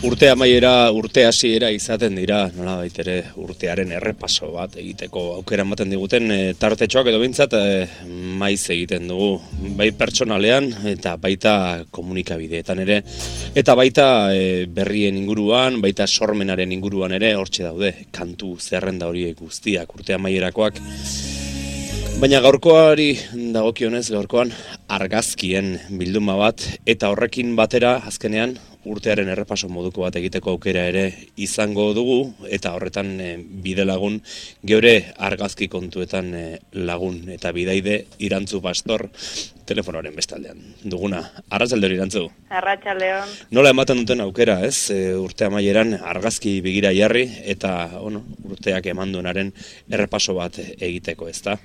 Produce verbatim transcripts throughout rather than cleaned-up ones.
Urte amaiera, urte hasiera izaten dira, nolabait ere urtearen errepaso bat egiteko aukera ematen diguten e, tartetxoak edo behintzat e, maiz egiten dugu, bai pertsonalean eta baita komunikabideetan ere, eta baita e, berrien inguruan, baita sormenaren inguruan ere hortxe daude, kantu zerrenda horiek guztiak urte amaierakoak. Baina gaurkoari dagokionez, gaurkoan argazkien bilduma bat, eta horrekin batera azkenean urtearen errepaso moduko bat egiteko aukera ere izango dugu, eta horretan e, bide lagun, geure argazki kontuetan e, lagun, eta bidaide Irantzu Pastor telefonoaren bestaldean duguna. Arratsalde Irantzu. Arratsaldeon. Nola ematen duten aukera, ez? E, urte amaieran argazki begira jarri, eta bueno, urteak eman duenaren errepaso bat egiteko, ezta?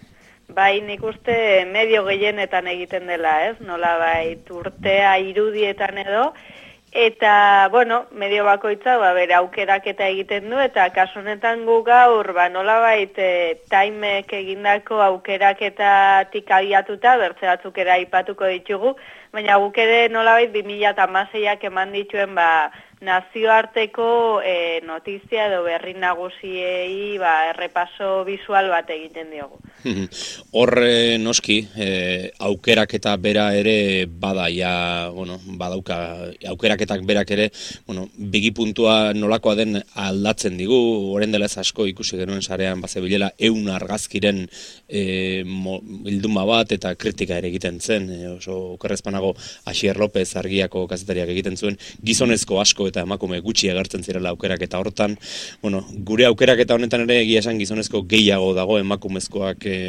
Bai, nik uste medio gehienetan egiten dela, ez? Nola bai, urtea irudietan edo, eta, bueno, medio bakoitza, ba, bere aukeraketa egiten du, eta kasu honetan gu gaur, ba, nola bai, taimek egindako aukeraketatik abiatuta, bertze batzuk ere aipatuko ditugu, baina guk ere nola bai, bi mila hamaseiak eman dituen, ba, nazioarteko e, notizia edo berri nagusiei ba, errepaso visual bat egiten diogu. Horre noski, e, aukeraketa bera ere bada, ja, bueno, badauka, aukeraketak berak ere, bueno, bigi puntua nolakoa den aldatzen digu, orain dela ez asko ikusi genuen sarean, bazebilela eun argazkiren e, mo, bilduma bat eta kritika ere egiten zen, e, oso okerrezpanago Asier López argiako kazetariak egiten zuen, gizonezko asko eta emakume gutxi agertzen zirela aukeraketa hortan. Bueno, gure aukeraketa honetan ere egia esan gizonezko gehiago dago emakumezkoak e,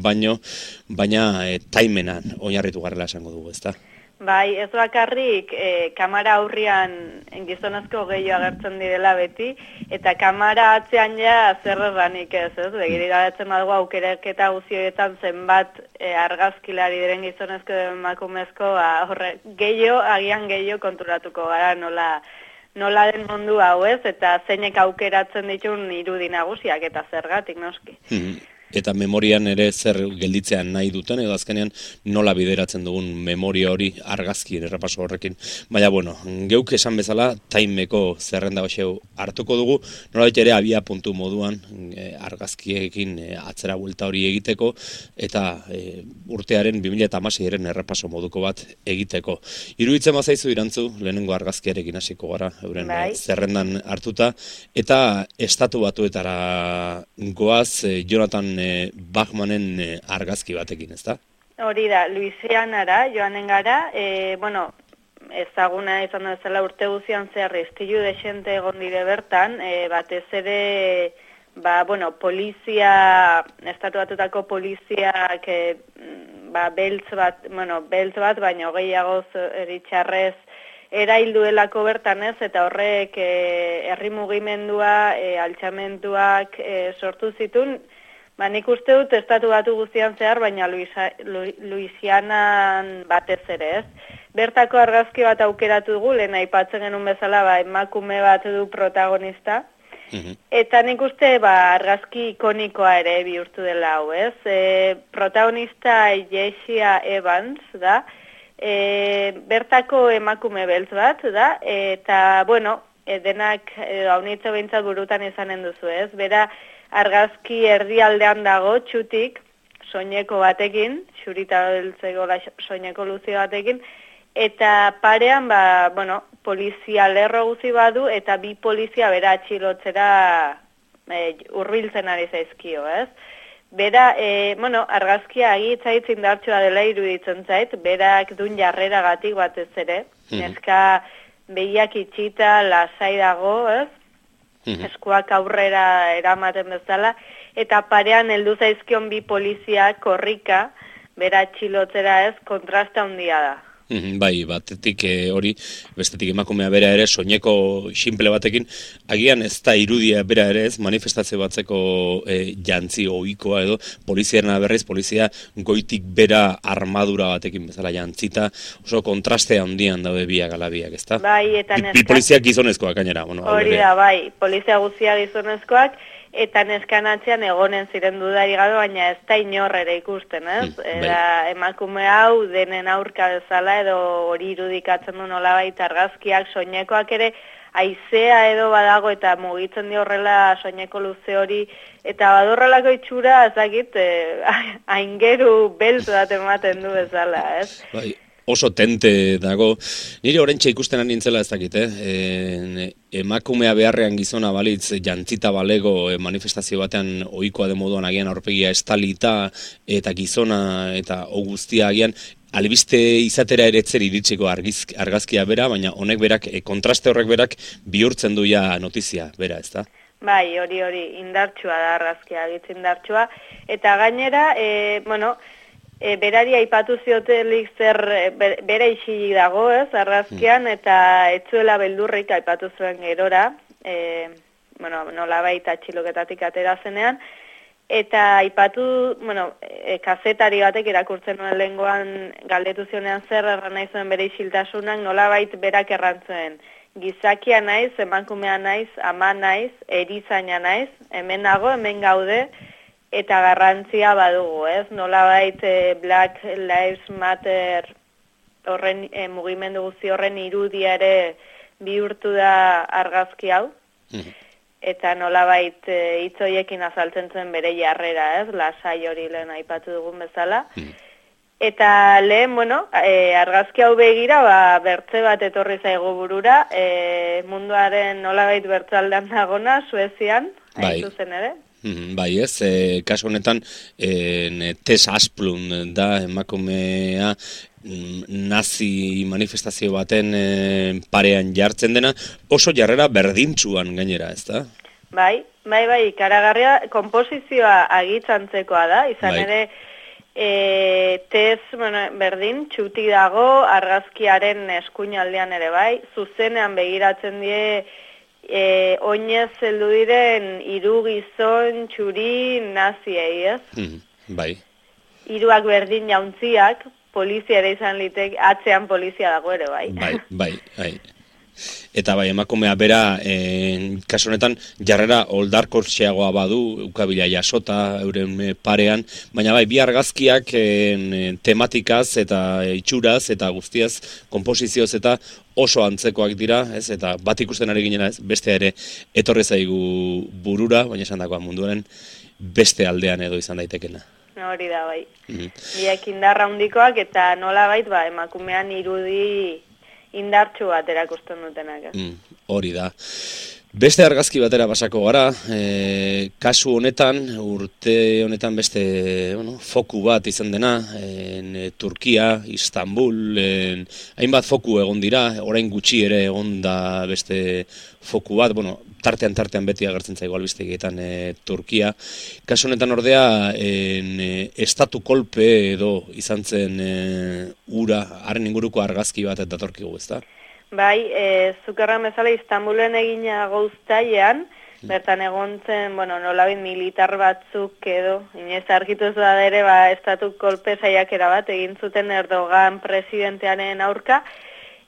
baino, baina e, taimenan oinarritu garrela esango dugu, ezta? Bai, ez bakarrik e, kamara aurrian gizonezko gehiago agertzen direla beti, eta kamara atzean ja zer erranik ez, ez? Begiriratzen badugu aukeraketa guztietan zenbat e, argazkilari diren gizonezko emakumezko, ba, horre, gehiago, agian gehiago konturatuko gara nola, nola den mundu hau ez, eta zeinek aukeratzen ditun irudi nagusiak eta zergatik noski. Eta memorian ere zer gelditzean nahi duten, edo azkenean nola bideratzen dugun memoria hori argazkien errepaso horrekin. Baina, bueno, geuk esan bezala, taimeko zerrenda baxeu hartuko dugu, nola ere abia puntu moduan e, argazkiekin e, atzera buelta hori egiteko, eta e, urtearen bi mila hamaseiren errepaso moduko bat egiteko. Iruditzen bazaizu Irantzu, lehenengo argazkiarekin hasiko gara, euren bai. Zerrendan hartuta, eta estatu batuetara goaz e, Jonathan Bachmanen argazki batekin, ezta? Hori da, Luisianara joanen gara, e, bueno, ezaguna izan da zela urte guzian zehar istilu desente egon dire bertan, e, batez ere, ba, bueno, polizia, estatu batutako poliziak, e, ba, beltz bat, bueno, beltz bat, baina gehiago eritxarrez, erailduelako bertan ez, eta horrek e, herri mugimendua, e, altxamentuak e, sortu zituen. Ba, nik uste dut estatu batu guztian zehar, baina Luisa, Lu, Luisianan batez ere ez. Bertako argazki bat aukeratu dugu, lehen aipatzen genuen bezala, ba, emakume bat du protagonista. Mm-hmm. Eta nik uste ba, argazki ikonikoa ere bihurtu dela hau ez. E, protagonista Jessica Evans da, e, bertako emakume beltz bat da, eta bueno, e, denak e, haunitza behintzat burutan izanen duzu ez. Bera, argazki erdialdean dago, txutik, soineko batekin, xurita beltzeko soineko luzi batekin, eta parean, ba, bueno, polizia lerro guzi badu, eta bi polizia bera atxilotzera e, urbiltzen ari zaizkio, ez? Bera, e, bueno, argazkia agitzaitz indartsua dela iruditzen zait, berak dun jarreragatik batez ere, mm-hmm. Neska behiak itxita, lasai dago, ez? Eskuak aurrera eramaten bezala, eta parean heldu zaizkion bi polizia korrika, bera txilotzera ez, kontrasta handia da. Bai, batetik hori, bestetik emakumea bera ere, soineko xinple batekin, agian ez da irudia bera ere ez, manifestazio batzeko e, jantzi ohikoa edo, poliziarena berriz, polizia goitik bera armadura batekin bezala jantzita, oso kontraste handian daude biak alabiak, ez da? Bai, eta neska... Bi poliziak gizonezkoak gainera. Bueno, hori da, bai, polizia guztia gizonezkoak, eta neskan atzean egonen ziren dudari gabe, baina ez da inor ere ikusten, ez? Mm, Era, emakume hau denen aurka bezala edo hori irudikatzen du nolabait argazkiak, soinekoak ere haizea edo badago eta mugitzen di horrela soineko luze hori, eta badorrelako itxura, ez dakit, eh, aingeru beltz bat ematen du bezala, ez? Bai, oso tente dago. Nire oraintxe ikusten nintzela ez dakit, eh? E, emakumea beharrean gizona balitz jantzita balego e, manifestazio batean ohikoa de moduan agian aurpegia estalita eta gizona eta o guztia agian albiste izatera ere etzer iritsiko argiz, argazkia bera, baina honek berak, e, kontraste horrek berak bihurtzen du ja notizia bera, ez da? Bai, hori hori indartsua da argazkia, gitz indartsua. Eta gainera, e, bueno, e, berari aipatu ziotelik zer e, bere isilik dago, ez, argazkian, eta etzuela beldurrik aipatu zuen gerora, e, bueno, nolabait atxiloketatik atera zenean, eta aipatu, bueno, e, kazetari batek irakurtzen nuen lehengoan galdetu zionean zer erran nahi zuen bere isiltasunak, nolabait berak errantzuen. Gizakia naiz, emakumea naiz, ama naiz, erizaina naiz, hemen nago, hemen gaude, eta garrantzia badugu, ez? Nolabait e, Black Lives Matter horren e, mugimendu guzti horren irudia ere bihurtu da argazki hau, eta nolabait e, hitz horiekin azaltzen zuen bere jarrera, ez? Lasai hori lehen aipatu dugun bezala. Eta lehen, bueno, e, argazki hau begira, ba, bertze bat etorri zaigu burura, e, munduaren nolabait bertzaldean dagona, Suezian, hain zuzen ere. Bai ez, e, kasu honetan e, Tess Asplund da emakumea nazi manifestazio baten e, parean jartzen dena, oso jarrera berdintsuan gainera, ez da? Bai, bai, bai, ikaragarria, konposizioa agitxantzekoa da, izan bai. Ere, E, Tez, bueno, berdin, txuti dago, argazkiaren eskuinaldean ere bai, zuzenean begiratzen die e, oinez heldu diren hiru gizon txuri naziei, ez? Mm, bai. Hiruak berdin jauntziak, polizia ere izan litek, atzean polizia dago ere bai. Bai, bai, bai. Eta bai, emakumea bera, e, kasu honetan, jarrera oldarkortxeagoa badu, ukabila jasota, euren parean, baina bai, bi argazkiak e, tematikaz eta itxuraz eta guztiaz, konposizioz eta oso antzekoak dira, ez? Eta bat ikusten ari ginena, ez? Beste ere etorri zaigu burura, baina esan dagoa munduaren beste aldean edo izan daitekena. Hori da bai. Mm-hmm. Biak indarra handikoak eta nola bait, ba, emakumean irudi indartsu bat erakusten dutenak. Eh? Mm, hori da. Beste argazki batera pasako gara, e, kasu honetan, urte honetan beste bueno, foku bat izan dena, en, e, Turkia, Istanbul, en, hainbat foku egon dira, orain gutxi ere egon da beste foku bat, bueno, tartean tartean beti agertzen zaigu albistegietan e, Turkia. Kasu honetan ordea, en, e, estatu kolpe edo izan zen e, ura, haren inguruko argazki bat eta datorkigu, ezta? Bai, e, zukerran bezala Istanbulen egina goztailean, bertan egon zen, bueno, nolabait militar batzuk edo, inoiz argitu ez da ere, ba, estatu kolpe saiakera bat, egin zuten Erdogan presidentearen aurka,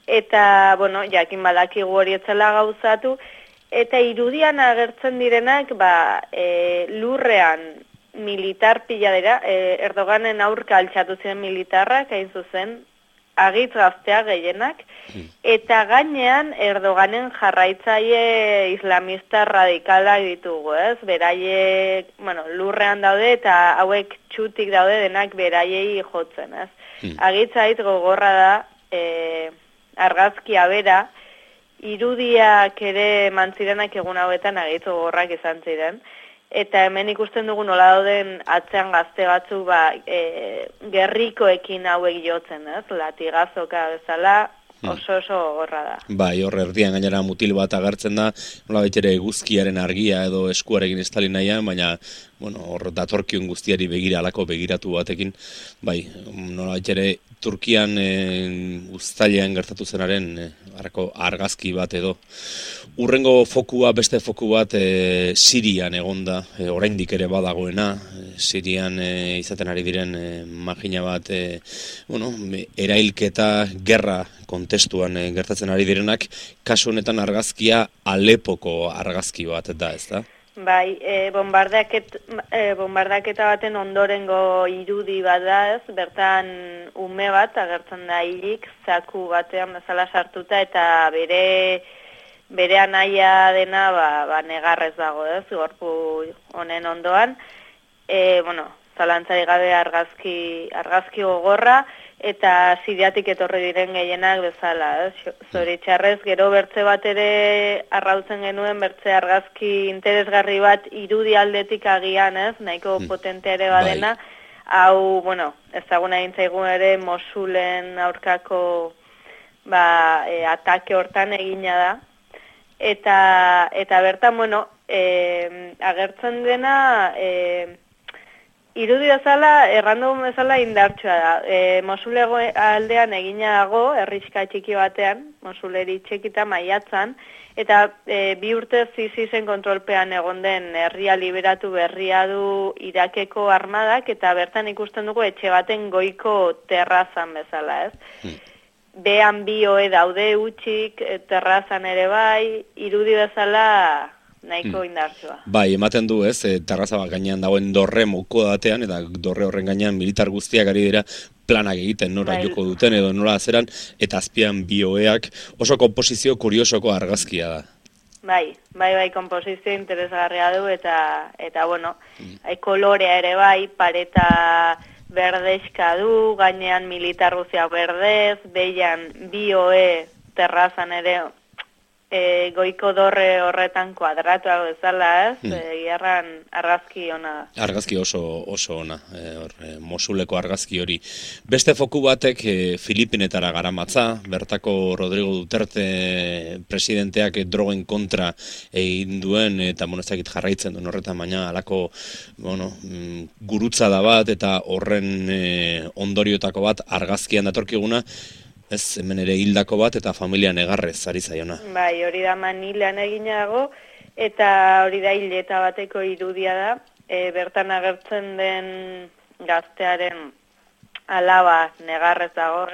eta, bueno, jakin badakigu hori etzela gauzatu, eta irudian agertzen direnak, ba, e, lurrean militar pila dira, e, Erdoganen aurka altxatu ziren militarrak, hain zuzen, agitz gaztea gehienak, eta gainean Erdoganen jarraitzaile islamista radikalak ditugu, ez? Beraiek, bueno, lurrean daude eta hauek txutik daude denak beraiei jotzen, ez? Hmm. Agitzait gogorra da, e, argazkia bera, irudiak ere mantzirenak egun hauetan agitz gogorrak izan ziren, eta hemen ikusten dugu nola dauden atzean gazte batzu ba, e, gerrikoekin hauek jotzen, ez? Latigazoka bezala oso oso gorra da. Bai, hor erdian gainera mutil bat agertzen da, nola baitere guzkiaren argia edo eskuarekin estali nahian, baina bueno, hor datorkion guztiari begira alako begiratu batekin, bai, nola baitere Turkian e, uztailean gertatu zenaren e, arako argazki bat edo. Urrengo fokua, beste foku bat e, Sirian egonda, e, oraindik ere badagoena, e, Sirian e, izaten ari diren e, magina bat, e, bueno, erailketa, gerra kontestuan e, gertatzen ari direnak, kasu honetan argazkia Alepoko argazki bat da, ez da? Bai, e, bombardaket, e, bombardaketa baten ondorengo irudi bat da, ez? Bertan ume bat agertzen da hilik, zaku batean bezala sartuta eta bere bere anaia dena ba, ba negarrez dago, ez, gorpu honen ondoan, e, bueno, zalantzari gabe argazki, argazki gogorra, eta Siriatik etorri diren gehienak bezala, ez? Zoritxarrez, gero bertze bat ere arrautzen genuen, bertze argazki interesgarri bat irudi aldetik agian, ez? Nahiko hmm. potentea ere badena, bai. Hau, bueno, ezaguna dintzaigun ere Mosulen aurkako ba, e, atake hortan egina da. Eta, eta bertan, bueno, e, agertzen dena... E, irudi bezala, errandom bezala indartsua da. E, Mosulego aldean egina dago, herrixka txiki batean, Mosuleri txekita maiatzan, eta e, bi urte zizizen kontrolpean egon den herria liberatu berria du Irakeko armadak, eta bertan ikusten dugu etxe baten goiko terrazan bezala, ez? Hmm. Behan bi oe daude utxik, terrazan ere bai, irudi bezala... nahiko indartsua. Bai, ematen du, ez, e, terraza bat gainean dagoen dorre moko datean, eta dorre horren gainean militar guztiak ari dira planak egiten, nora bai. Joko duten edo nola azeran, eta azpian bi oeak oso komposizio kuriosoko argazkia da. Bai, bai, bai, komposizio interesgarria du, eta, eta bueno, mm. hai kolorea ere bai, pareta berdezka du, gainean militar guztiak berdez, behian bi oe terrazan ere, E, goiko dorre horretan kuadratua bezala, ez? Hmm. E, Gerran argazki ona da. Argazki oso oso ona, e, or, e, Mosuleko argazki hori. Beste foku batek e, Filipinetara garamatza, bertako Rodrigo Duterte presidenteak e, drogen kontra egin duen, eta bueno, ez dakit jarraitzen duen horretan, baina alako, bueno, mm, gurutza da bat, eta horren e, ondoriotako bat argazkian datorkiguna, ez, hemen ere hildako bat eta familia negarrez ari zaiona. Bai, hori da Manilan eginago, eta hori da hileta bateko irudia da, e, bertan agertzen den gaztearen alaba negarrez dago,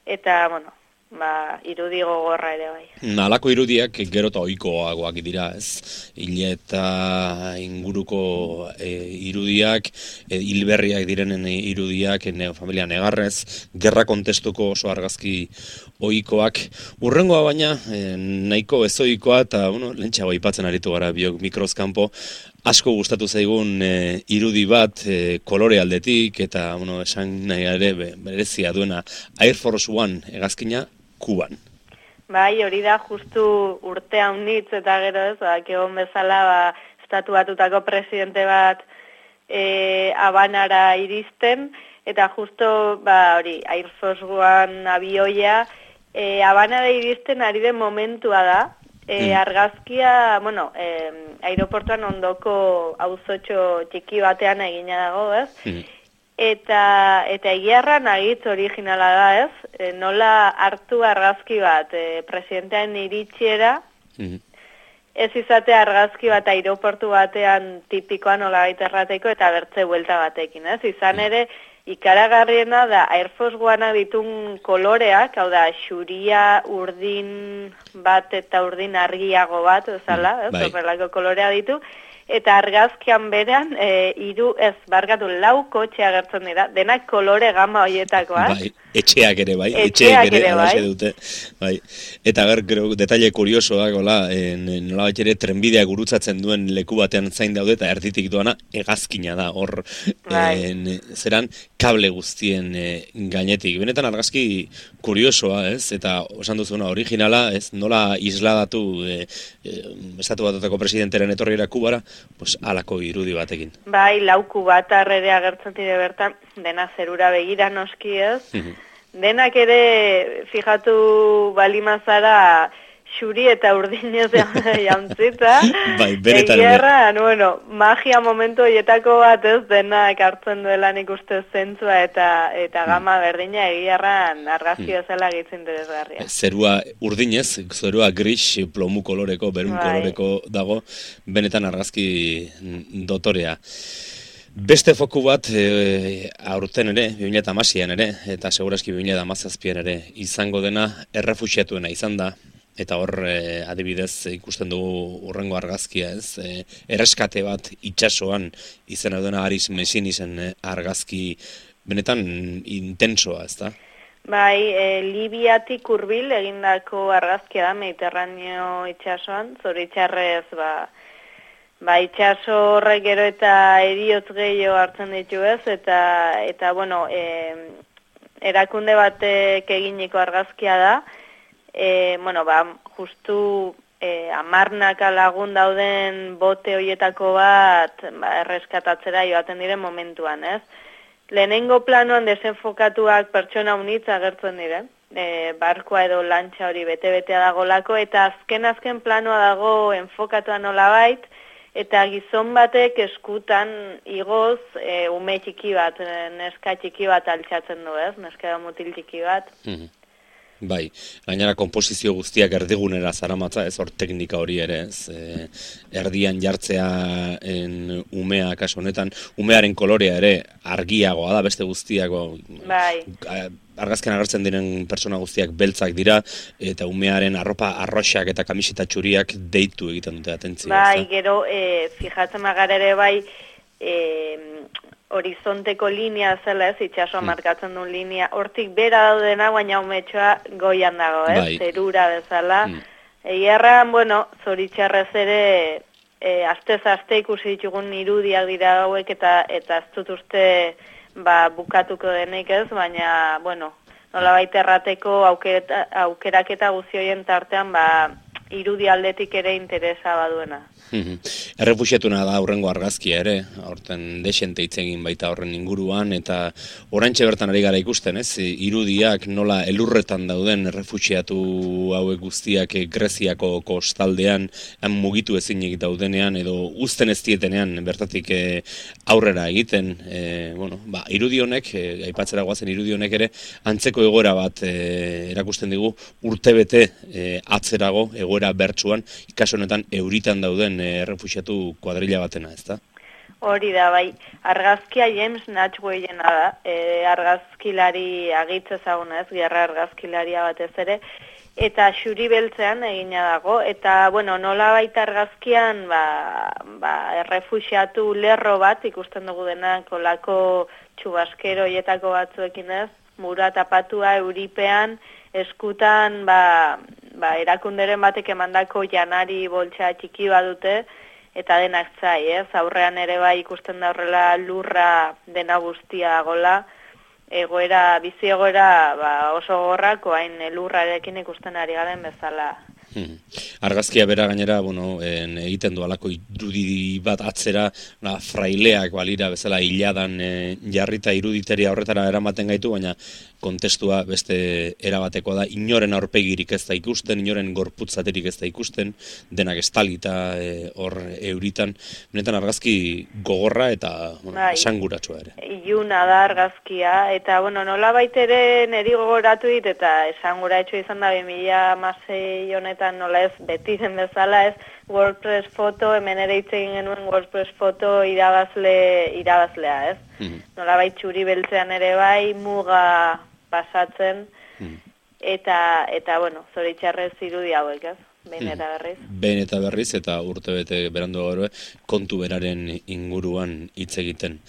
eta, bueno, ba, irudi gogorra ere bai. Halako irudiak gero eta ohikoagoak dira, ez? Hileta inguruko e, irudiak, e, hilberriak direnen irudiak, ne, familia negarrez, gerra kontestuko oso argazki ohikoak. Urrengoa baina, e, nahiko ezoikoa, eta bueno, lentsago aipatzen aritu gara biok mikrozkanpo, asko gustatu zaigun e, irudi bat e, kolore aldetik, eta bueno, esan nahi ere berezia duena Air Force One hegazkina Kuban. Bai, hori da justu urte haunitz eta gero ez, ba, egon bezala ba, estatu batutako presidente bat e, Habanara iristen, eta justo ba, hori Air Force One abioia e, Habanara iristen ari den momentua da. E, argazkia, bueno, e, aeroportuan ondoko auzotxo txiki batean egina dago, ez? Mm. Eta, eta egiarran agitz originala da, ez? E, nola hartu argazki bat e, presidentean iritsiera, mm. ez izate argazki bat aeroportu batean tipikoa nola gaiterrateko eta bertze buelta batekin, ez? Izan ere, ikaragarriena da Air Force One ditun koloreak, hau da, xuria, urdin bat eta urdin argiago bat, ezala, ez, bai. Horrelako kolorea ditu, eta argazkian berean, e, hiru ez, barkatu, lau kotxe agertzen dira, denak kolore gama horietakoa. Bai, etxeak ere, bai, etxeak, etxeak ere, ere bai. dute, bai. Eta ber, gero, detaile kuriosoak, hola, nola bat ere, trenbidea gurutzatzen duen leku batean zain daude, eta erditik doana, hegazkina da, hor, bai. en, zeran, kable guztien e, gainetik. Benetan argazki kuriosoa, ez? Eta osan duzuna originala, ez? Nola isladatu e, e, estatu batutako presidenteren etorriera Kubara, pues alako irudi batekin. Bai, lauku bat arrere agertzen dire bertan, dena zerura begira noski, ez? Denak ere, fijatu balimazara, xuri eta urdinez jantzita. Bai, benetan. Egiarran, bueno, magia momentu horietako bat ez denak hartzen duela nik uste zentzua eta eta gama berdina egiarran argazki bezala gitzen interesgarria. Zerua urdinez, zerua gris, plomu koloreko, berun bai. Koloreko dago, benetan argazki dotorea. Beste foku bat e, aurten ere, bi mila hamaseian ere, eta segurazki bi mila hamazazpian ere, izango dena errefuxiatuena izan da, eta hor e, adibidez ikusten dugu urrengo argazkia, ez? E, erreskate bat itsasoan izena duena Aris Messin izen argazki benetan intensoa, ez da? Bai, e, Libiatik hurbil egindako argazkia da Mediterraneo itsasoan, zoritxarrez, ba, ba itsaso horrek gero eta heriotz gehiago hartzen ditu ez, eta, eta bueno, e, erakunde batek eginiko argazkia da, e, bueno, ba, justu e, amarnaka lagun dauden bote hoietako bat ba, erreskatatzera joaten diren momentuan, ez? Lehenengo planoan desenfokatuak pertsona unitz agertzen diren, e, barkoa edo lantxa hori bete-betea dagolako, eta azken-azken planoa dago enfokatua nolabait, eta gizon batek eskutan igoz e, ume txiki bat, neska txiki bat altxatzen du, ez? Neska edo mutil txiki bat. Mm-hmm. Bai, gainera konposizio guztiak erdigunera zaramatza, ez hor teknika hori ere, ez, e, erdian jartzea en, umea kasu honetan, umearen kolorea ere argiagoa da beste guztiago. Bai. Argazken agertzen diren pertsona guztiak beltzak dira, eta umearen arropa arroxak eta kamiseta txuriak deitu egiten dute atentzia. Bai, gero, e, fijatzen magara ere bai, e, horizonteko linea zela ez, itxasoa hmm. markatzen duen linea, hortik bera daudena, baina umetxoa goian dago, ez, bai. Zerura bezala. Hmm. Egiarran, bueno, zoritxarrez ere, e, astez-aste ikusi ditugun irudiak dira hauek, eta eta ez dut uste ba, bukatuko denik ez, baina, bueno, nolabait errateko aukera, aukeraketa guzti horien tartean, ba, irudi aldetik ere interesa baduena. Errefuxiatuna da aurrengo argazkia ere, aurten desente hitz egin baita horren inguruan, eta oraintxe bertan ari gara ikusten, ez? Irudiak nola elurretan dauden errefuxiatu hauek guztiak Greziako kostaldean han mugitu ezinik daudenean edo uzten ez dietenean bertatik aurrera egiten, e, bueno, ba, irudi honek, e, aipatzera goazen irudi honek ere antzeko egoera bat e, erakusten digu urtebete e, atzerago egoera bertsuan, kasu honetan euritan dauden errefuxiatu kuadrilla batena, ezta? Hori da, bai. Argazkia James Natchwayena da, e, argazkilari agitz ezaguna ez, gerra argazkilaria batez ere, eta xuri beltzean egina dago, eta, bueno, nola baita argazkian, ba, ba, errefuxiatu lerro bat, ikusten dugu denak, olako txubaskero hietako batzuekin ez, mura tapatua, euripean, eskutan, ba, ba, erakunderen batek emandako janari boltsa txiki badute, eta denak zai, ez? Aurrean ere bai ikusten da horrela lurra dena guztia gola, egoera, bizi egoera ba, oso gorrako, hain lurrarekin ikusten ari garen bezala. Hmm. Argazkia bera gainera, bueno, en, egiten du alako irudi bat atzera, na, fraileak balira bezala hiladan e, jarrita iruditeria horretara eramaten gaitu, baina kontestua beste erabatekoa da, inoren aurpegirik ez da ikusten, inoren gorputzaterik ez da ikusten, denak estalita e, hor euritan, benetan argazki gogorra eta bueno, bai, esanguratsua ere. Iluna da argazkia, eta bueno, nola baitere neri gogoratu dit, eta esanguratsu izan da bi mila hamasei honetan nola ez beti zen bezala ez, WordPress foto, hemen ere hitz egin genuen WordPress foto irabazle, irabazlea ez. Mm-hmm. Nola bai txuri beltzean ere bai, muga pasatzen, mm-hmm. eta, eta bueno, zoritxarrez irudi hauek ez. Behin eta berriz. Behin eta berriz eta urtebete berandu gaur kontu beraren inguruan hitz egiten.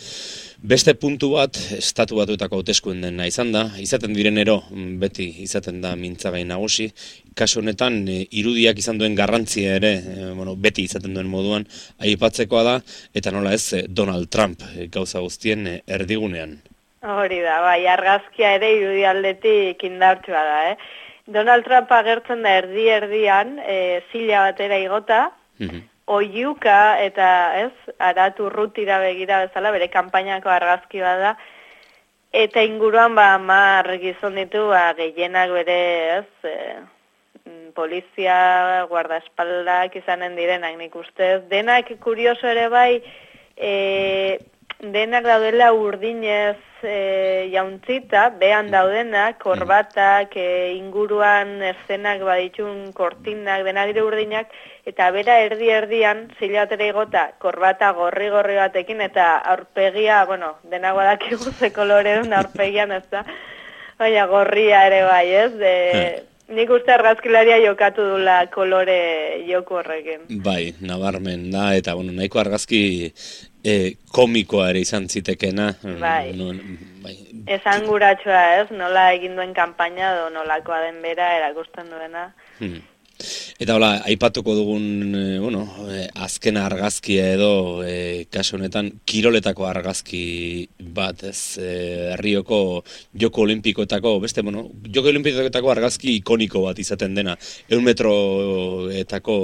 Beste puntu bat, estatu batuetako hauteskundena izan da, izaten direnero beti izaten da mintzagai nagusi, kasu honetan irudiak izan duen garrantzia ere, e, bueno, beti izaten duen moduan, aipatzekoa da, eta nola ez Donald Trump gauza guztien erdigunean. Hori da, bai, argazkia ere irudi aldetik indartsua da, eh? Donald Trump agertzen da erdi-erdian, e, zila batera igota, mm-hmm. oiuka eta ez, aratu rutira begira bezala, bere kanpainako argazki bat da, eta inguruan ba hamar gizon ditu, ba, gehienak bere ez, e, polizia, guardaespaldak izanen direnak nik ustez. Denak kurioso ere bai, e, denak daudela urdinez e, jauntzita, behan daudenak, korbatak, e, inguruan eszenak baditun kortinak, denak dire urdinak, eta bera erdi-erdian, zila batera igota, korbata gorri-gorri batekin, eta aurpegia, bueno, denak badakigu ze kolore duen aurpegian, ez da, baina gorria ere bai, ez, de... Nik uste argazkilaria jokatu dula kolore joku horrekin. Bai, nabarmen da, eta bueno, nahiko argazki e, komikoa ere izan zitekena. Bai. No, bai. esanguratsua, ez? Nola egin duen kanpaina edo nolakoa den bera erakusten duena. Hmm. Eta hola, aipatuko dugun, e, bueno, e, azken argazkia edo, e, kasu honetan, kiroletako argazki bat, ez, e, Rioko Joko Olimpikoetako, beste, bueno, Joko Olimpikoetako argazki ikoniko bat izaten dena, eun metroetako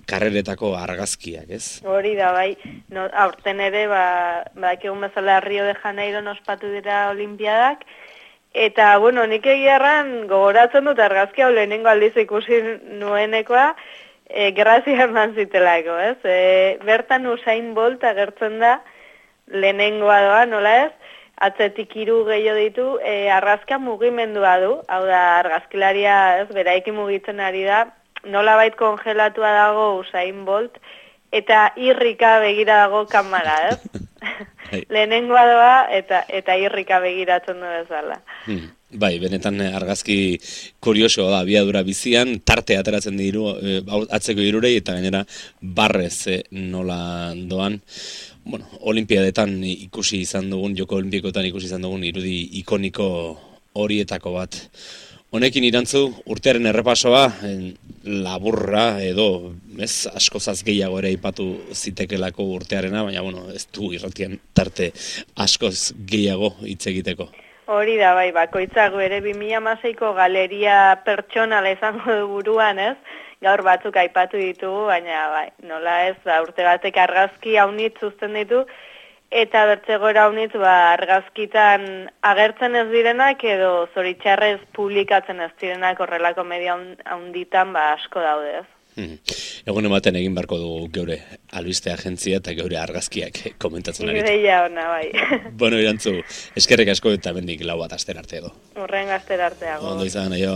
karreretako argazkiak, ez? Hori da, bai, no, aurten ere, ba, ba egun bezala Rio de Janeiro ospatu dira olimpiadak, eta, bueno, nik egiarran gogoratzen dut argazki hau lehenengo aldiz ikusi nuenekoa, e, grazia eman zitelako, ez? E, bertan Usain Bolt agertzen da lehenengoa doa, nola ez? Atzetik hiru gehiago ditu, e, argazka mugimendua du, hau da argazkilaria, ez, beraiki mugitzen ari da, nolabait kongelatua dago Usain Bolt, eta irrika begira dago kamara, ez? Lehenengoa doa eta eta irrika begiratzen du bezala. Hmm. Bai, benetan argazki kurioso da, abiadura bizian, tarte ateratzen diru, atzeko hirurei eta gainera barrez eh, nola doan. Bueno, olimpiadetan ikusi izan dugun, Joko Olimpikoetan ikusi izan dugun irudi ikoniko horietako bat. Honekin irantzu, urtearen errepasoa, laburra edo, ez, askozaz gehiago ere aipatu zitekelako urtearena, baina, bueno, ez du irratian tarte askoz gehiago hitz egiteko. Hori da, bai, bakoitzago ere bi mila hamaseiko galeria pertsonala izango du buruan, ez? Gaur batzuk aipatu ditugu, baina, bai, nola ez, ba, urte batek argazki haunitz uzten ditu, eta bertzegora haunitz, ba, argazkitan agertzen ez direnak edo zoritxarrez publikatzen ez direnak horrelako media haunditan ba, asko daude ez. Hmm. Egun ematen egin barko dugu geure albiste agentzia eta geure argazkiak komentatzen ari. Ideia ona, bai. Bueno, irantzu, eskerrik asko eta bendik lau bat aster arte edo. Horren aster arteago. Ondo izan, aio.